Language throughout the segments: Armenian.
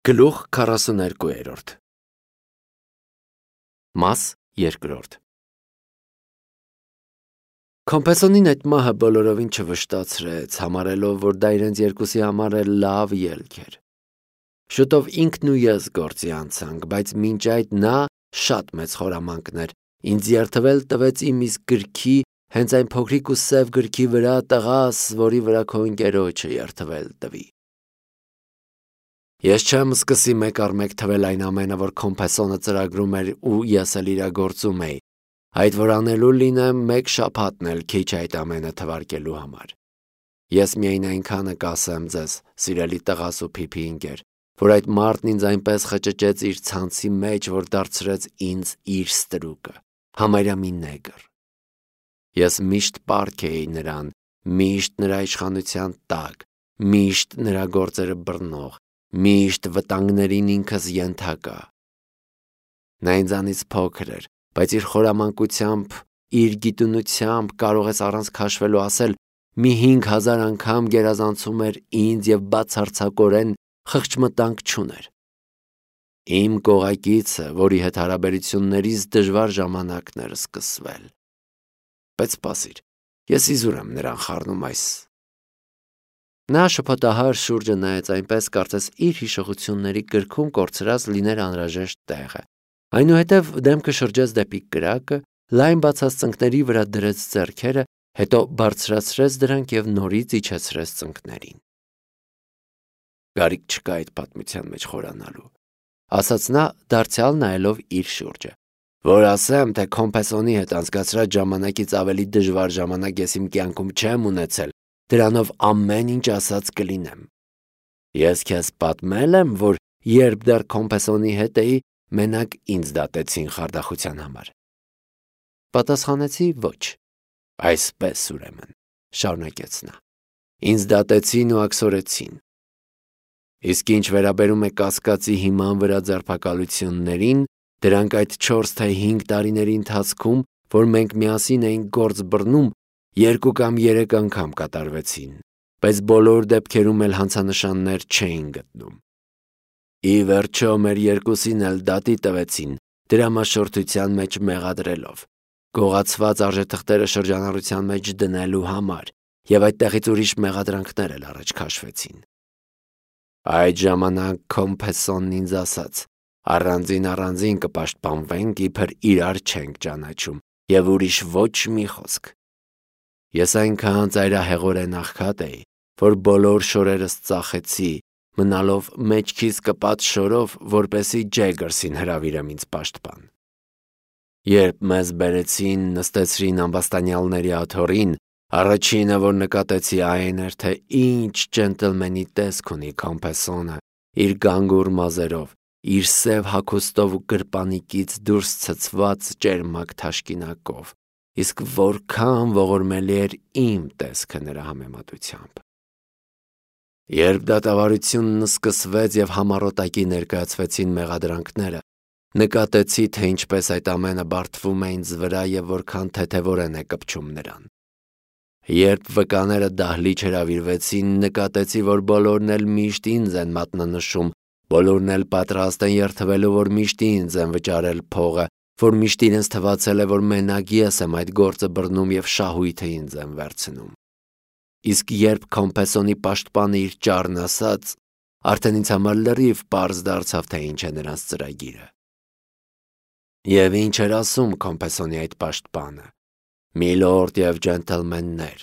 Գլուխ 42 Մաս 2 Կոմպեսոնին այդ մահը բոլորովին չվշտացրեց, համարելով, որ դա իրենց երկուսի համար էլ լավ ելք էր։ Շուտով ինքն ու ես գործի անցանք, բայց մինչ այդ նա շատ մեծ խորամանկներ ինձ երթվել տվեց իմ իսկ գրքի, հենց այն փոքրիկ ու սև գրքի վրա, տղաս, որի վրա քո ընկերոջը երթվել տվի։ Ես չեմ սկսի մեկ առ մեկ թվել այն ամենը, որ Կոմպեսոնը ծրագրում էր ու ես էլ իրագործում էի, այդ որ անելու լինեմ մեկ շաբաթն էլ քիչ այդ ամենը թվարկելու համար։ Ես միայն այնքանը կասեմ ձեզ, սիրելի տղաս ու փիփի ընկեր, որ այդ մարդն ինձ այնպես խճճեց իր ցանցի մեջ, որ դարձրեց ինձ իր ստրուկը, համարյա մի նեգր։ Ես միշտ պարկ էի նրան, միշտ նրա իշխանության տակ, միշտ նրա գործերը բռնող, միշտ վտանգներին ինքս ենթակա։ Նա ինձանից փոքր էր, բայց իր խորամանկությամբ, իր գիտունությամբ կարող ես առանց քաշվելու ասել, մի 5000 անգամ գերազանցում էր ինձ և բացարձակորեն խղճմտանք չուներ։ Իմ կողակիցը, որի հետ հարաբերություններից դժվար ժամանակներ սկսվել։ Բայց սպասիր, ես իզուր եմ նրան խառնում այս։ Նա շփոթահար շուրջը նայեց այնպես, կարծես իր հիշողությունների գրքում կորցրած լիներ անհրաժեշտ տեղը։ Այնուհետև դեմքը շրջեց դեպի կրակը, լայն բացած ծնկների վրա դրեց ձեռքերը, հետո բարձրացրեց դրանք և նորից իջեցրեց ծնկներին։ Կարիք չկա այդ պատմության մեջ խորանալու, ասաց նա, դարձյալ նայելով իր շուրջը, որ ասեմ, թե Կոմպեսոնի հետ անցկացրած ժամանակից ավելի դժվար ժամանակ ես իմ կյանքում չեմ ունեցել, դրանով ամեն ինչ ասած կլինեմ։ Ես քեզ պատմել եմ, որ երբ դեռ Կոմպեսոնի հետ էի, մենակ ինձ դատեցին խարդախության համար։ Պատասխանեցի ոչ։ Այսպես ուրեմն, շարունակեց նա, ինձ դատեցին ու աքսորեցին։ Իսկ ինչ վերաբերում է կասկածի հիման վրա ձերբակալություններին, դրանք այդ 4 թե 5 տարիների ընթացքում, որ մենք միասին էինք գործ բռնում, 2 կամ 3 անգամ կատարվեցին, բայց բոլոր դեպքերում էլ հանցանշաններ չէին գտնում։ Ի վերջո մեր երկուսին էլ դատի տվեցին, դրամաշորթության մեջ մեղադրելով, գողացված արժեթղթերը շրջանառության մեջ դնելու համար, և այդտեղից ուրիշ մեղադրանքներ էլ առաջ քաշվեցին։ Այդ ժամանակ Կոմպեսոնն ինձ ասաց. առանձին կպաշտպանվենք, իբր իրար չենք ճանաչում, և ուրիշ ոչ մի խոսք։ Ես այնքան ծայրահեղորեն աղքատ էի, որ բոլոր շորերս ծախեցի, մնալով մեջքիս կպած շորով, որպեսզի Ջեգերսին հրավիրեմ ինձ պաշտպան։ Երբ մեզ բերեցին, նստեցրին ամբաստանյալների աթոռին, առաջինը, որ նկատեցի, այն էր, թե ինչ ջենտլմենի տեսք ունի Կոմպեսոնը, իր գանգուր մազերով, իր սև հագուստով ու գրպանիկից դուրս ցցված ճերմակ թաշկինակով, իսկ որքան ողորմելի էր իմ տեսքը նրա համեմատությամբ։ Երբ դատավարությունն սկսվեց և համառոտակի ներկայացվեցին մեղադրանքները, նկատեցի, թե ինչպես այդ ամենը բարդվում է ինձ վրա և որքան թեթևորեն է կպչում նրան։ Երբ վկաները դահլիճ հրավիրվեցին, նկատեցի, որ բոլորն էլ միշտ ինձ են մատնանշում, բոլորն էլ պատրաստ են երդվելու, որ միշտ ինձ են վճարել փողը, որ միշտ իրենց թվացել է, որ մենակ ես եմ այդ գործը բռնում և շահույթը ինձ են վերցնում։ Իսկ երբ Կոմպեսոնի պաշտպանը իր ճառն ասաց, արդեն ինձ համար լրիվ պարզ դարձավ, թե ինչ է նրանց ծրագիրը։ Եվ ինչ էր ասում Կոմպեսոնի այդ պաշտպանը. «Միլորդ և ջենտլմեններ,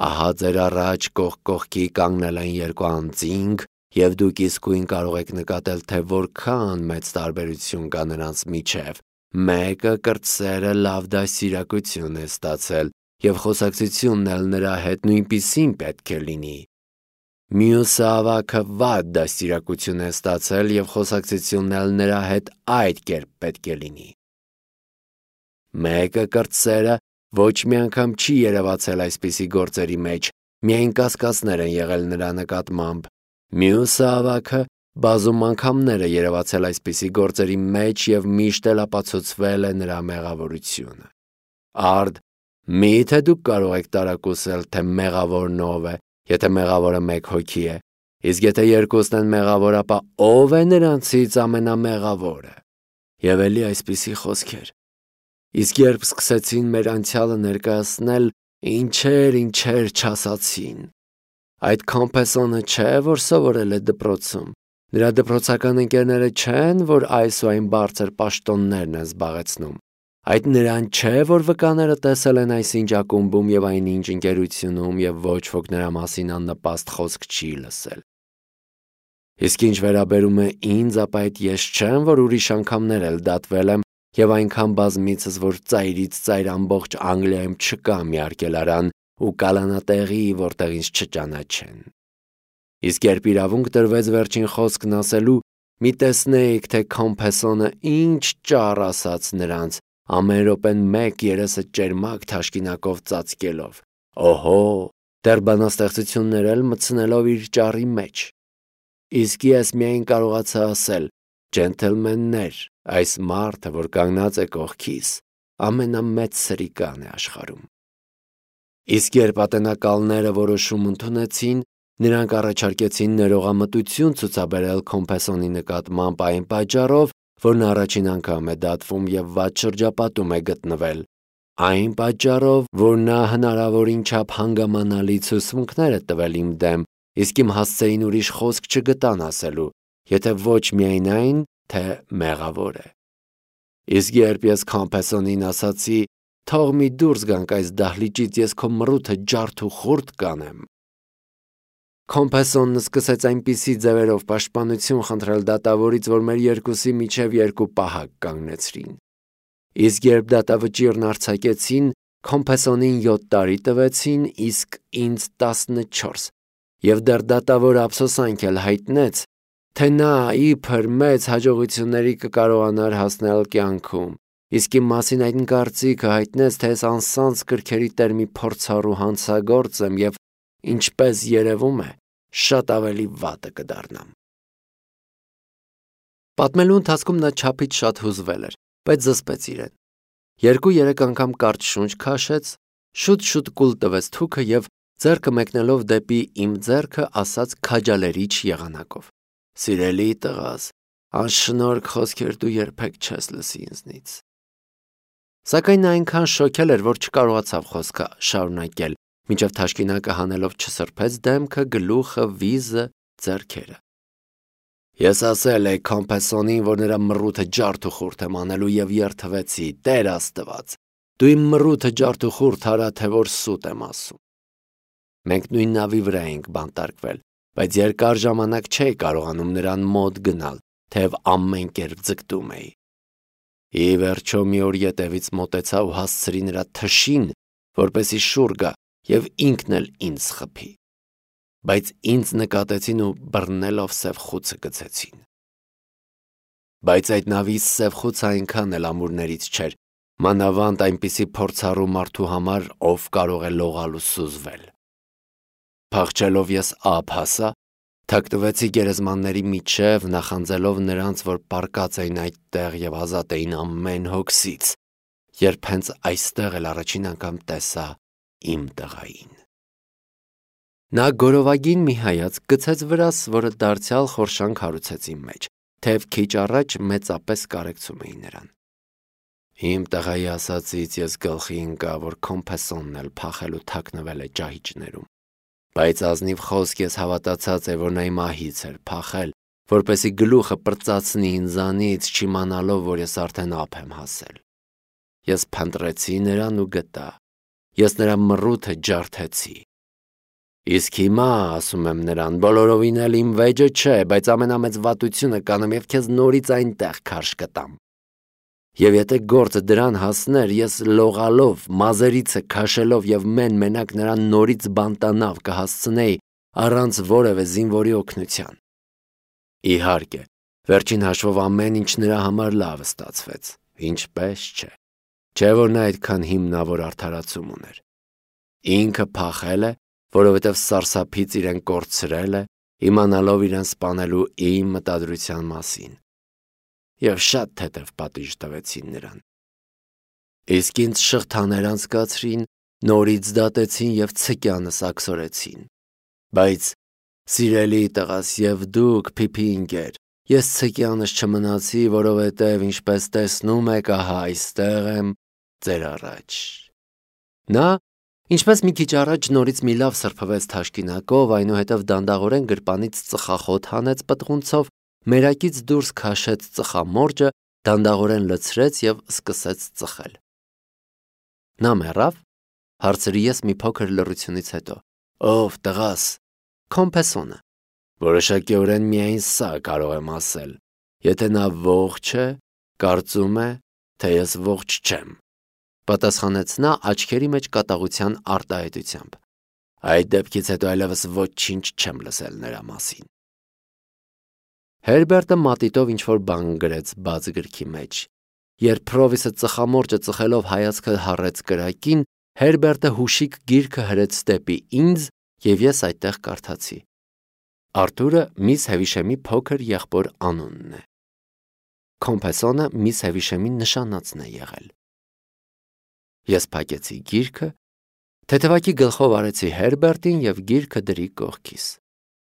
ահա ձեր առաջ կողք կողքի կանգնել են 2 անձինք, և դուք իսկույն կարող եք նկատել, թե որքան մեծ տարբերություն կա նրանց միջև։ Մեկը կրտսերը լավ դաստիարակություն է ստացել, և խոսակցությունն էլ նրա հետ նույնպիսին պետք է լինի։ Մյուսը ավագը վատ դաստիարակություն է ստացել, և խոսակցությունն էլ նրա հետ այդ կերպ պետք է լինի։ Մեկը կրտսերը ոչ մի անգամ չի երևացել այսպիսի գործերի մեջ, միայն կասկածներ են եղել նրա նկատմամբ։ Մյուսը ավագը բազում անգամներ է երևացել այսպիսի գործերի մեջ և միշտ էլ ապացուցվել է նրա մեղավորությունը։ Արդ, միթե դուք կարող եք տարակուսել, թե մեղավորն ով է, եթե մեղավորը 1 հոգի է, Իսկ եթե երկուսն են մեղավոր, ապա ով է նրանցից ամենամեղավորը։ Եվ էլի այսպիսի խոսքեր։ Իսկ երբ սկսեցին մեր անցյալը ներկայացնել, ինչեր չասացին։ Այդ Կոմպեսոնը չէ, որ սովորել է դպրոցում։ Նրա դպրոցական ընկերները չեն, որ այս ու այն բարձր պաշտոններն են զբաղեցնում։ Այդ նրան չէ, որ վկաները տեսել են այսինչ ակումբում եւ այնինչ ընկերությունում եւ ոչ ոք նրա մասին աննպաստ խոսք չի լսել։ Իսկ ինչ վերաբերում է ինձ, ապա այդ ես չեմ, որ ուրիշ անգամներ էլ դատվել եմ եւ այնքան բազմիցս, որ ծայրից ծայր ամբողջ Անգլիայում չկա մի արգելարան ու կալանատեղի, որտեղ ինձ չճանաչեն։ Իսկ երբ իրավունք տրվեց վերջին խոսքն ասելու, մի տեսնեիք, թե Կոմպեսոնը ինչ ճառ ասաց նրանց, ամեն րոպեն մեկ երեսը ճերմակ թաշկինակով ծածկելով։ Օհո, դեռ բանաստեղծություններ էլ մտցնելով իր ճառի մեջ։ Իսկ ես միայն կարողացա ասել. «Ջենթլմեններ, այս մարդը, որ կանգնած է կողքիս, ամենամեծ սրիկան է աշխարհում»։ Իսկ երբ ատենակալները որոշում ընդունեցին, նրանք առաջարկեցին ներողամտություն ցուցաբերել Կոմպեսոնի նկատմամբ այն պատճառով, որ նա առաջին անգամ է դատվում եւ վատ շրջապատում է գտնվել, այն պատճառով, որ նա հնարավորին չափ հանգամանալի ցուցմունքներ է տվել իմ դեմ, իսկ իմ հասցեին ուրիշ խոսք չգտան ասելու, եթե ոչ միայն այն, թե մեղավոր է։ Իսկ երբ ես Կոմպեսոնին ասացի, թող մի դուրս գանք այս դահլիճից, ես քո մռութը ջարդ ու խուրդ կանեմ։ Կոմպեսոնն սկսեց այնպիսի ձևերով պաշտպանություն խնդրել դատավորից, որ մեր երկուսի միջև երկու պահակ կանգնեցրին։ Իսկ երբ դատավճիռն արձակեցին, Կոմպեսոնին 7 տարի տվեցին, իսկ ինձ 14, եւ դեռ դատավորը ափսոսանք էլ հայտնեց, թե նա իբր մեծ հաջողությունների կկարողանար հասնել կյանքում, իսկ իմ մասին այդ կարծիքը հայտնեց, թե ես անսանձ կրքերի տեր մի փորձառու հանցագործ եմ եւ ինչպես երևում է, շատ ավելի վատը կդառնամ։ Պատմելու ընթացքում նա չափից շատ հուզվել էր, բայց զսպեց իրեն։ 2-3 անգամ կարճ շունչ քաշեց, շուտ կուլ տվեց թուքը եւ ձեռքը մեկնելով դեպի իմ ձեռքը ասաց քաջալերիչ եղանակով. «Սիրելի տղաս, անշնորհք խոսքեր դու երբեք չես լսի ինձնից»։ Սակայն նա այնքան շոքել էր, որ չկարողացավ խոսքը շարունակել, մինչև թաշկինակը հանելով չսրբեց դեմքը, գլուխը, վիզը, ձեռքերը։ Ես ասել էի Կոմպեսոնին, որ նրա մռութը ջարդ ու խուրդ եմ անելու եւ երթվեցի, Տեր Աստված, դու իմ մռութը ջարդ ու խուրդ արա, թե որ սուտ եմ ասում։ Մենք նույն նավի վրա էինք բանտարկվել, բայց երկար ժամանակ չէի կարողանում նրան մոտ գնալ, թեև ամեն կերպ ձգտում էի։ Ի վերջո մի օր ետևից մոտեցա ու հասցրի նրա թշին, որպեսի շուռ գա եւ ինքն էլ ինձ խփի։ Բայց ինձ նկատեցին ու բռնելով սև խուցը գցեցին։ Բայց այդ նավի սև խուցը այնքան էլ ամուրներից չէր, մանավանդ այնպիսի փորձառու մարդու համար, ով կարող է լողալ ու սուզվել։ Փախչելով ես ափ հասա, թաքնվեցի գերեզմանների միջև, նախանձելով նրանց, որ պառկած էին այդտեղ եւ ազատ էին ամեն հոգսից, երբ հենց այստեղ էլ առաջին անգամ տեսա իմ տղային։ Նա գորովագին մի հայացք գցեց վրաս, որը դարձյալ խորշանք հարուցեց իմ մեջ, թեև քիչ առաջ մեծապես կարեկցում էի նրան։ Իմ տղայի ասածից ես գլխի ընկա, որ Կոմպեսոնն էլ փախել ու թաքնվել է ճահիճներում, բայց ազնիվ խոսք ես հավատացած է, որ նա իմահից էր փախել, որպեսի գլուխը պրծացնի ինձանից, չիմանալով, որ ես արդեն ափ եմ հասել։ Ես փնտրեցի նրան ու գտա, ես նրա մռութը ջարդեցի։ Իսկ հիմա, ասում եմ նրան, բոլորովին էլ իմ վեճը չէ, բայց ամենամեծ վատությունը կանեմ եւ քեզ նորից այնտեղ քարշ կտամ։ Եվ եթե գործը դրան հասներ, ես լողալով, մազերիցը քաշելով եւ մենակ նրան նորից բանտանավ կհասցնեի առանց որևէ զինվորի օգնության։ Իհարկե, վերջին հաշվով ամեն ինչ նրա համար լավ ստացվեց, ինչպես չէ։ Չէ՞ որ նա այդքան հիմնավոր արդարացում ուներ։ Ինքը փախել է, որովհետև սարսափից իրեն կորցրել է, իմանալով իրեն սպանելու իմ մտադրության մասին։ Եվ շատ թեթև պատիժ տվեցին նրան։ Իսկ ինձ շղթաներ անցկացրին, նորից դատեցին եւ ցկյանս աքսորեցին։ Բայց Սիրելի տղաս եւ դուք փիփի ընկեր, ես ցկյանս չմնացի, որովհետեւ ինչպես տեսնում եք, ահա այստեղ եմ ձեր առաջ։ Նա, ինչպես մի քիչ առաջ նորից մի լավ սրբվեց թաշկինակով, այնուհետև դանդաղորեն գրպանից ծխախոտ հանեց պտղունցով, մերակից դուրս քաշեց ծխամորճը, դանդաղորեն լցրեց եւ սկսեց ծխել։ Նա մեռավ, հարցրի ես մի փոքր լռությունից հետո։ Ով տղաս, Կոմպեսոնը։ Որոշակիորեն միայն սա կարող եմ ասել։ Եթե նա ողջ է, կարծում է, թե ես ողջ չեմ, պատասխանեց նա աչքերի մեջ կատաղության արտահայտությամբ։ Այդ դեպքից հետո այլևս ոչինչ չեմ լսել նրա մասին։ Հերբերտը մատիտով ինչ-որ բան գրեց բաց գրքի մեջ։ Երբ Պրովիսը ծխամորճը ծխելով հայացքը հառեց կրակին, Հերբերտը հուշիկ գիրքը հրեց դեպի ինձ եւ ես այդտեղ կարդացի։ Արտուրը միս Հևիշեմի փոքր եղբոր անունն է։ Կոմպեսոնը միս Հևիշեմի նշանածն է եղել։ Ես փակեցի գիրքը, թեթևակի գլխով արեցի Հերբերտին եւ գիրքը դրի կողքիս։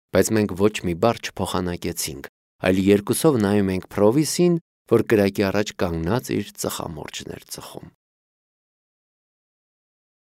Բայց մենք ոչ մի բառ չփոխանակեցինք, այլ երկուսով նայում ենք Պրովիսին, որ կրակի առաջ կանգնած իր ծխամորճն էր ծխում։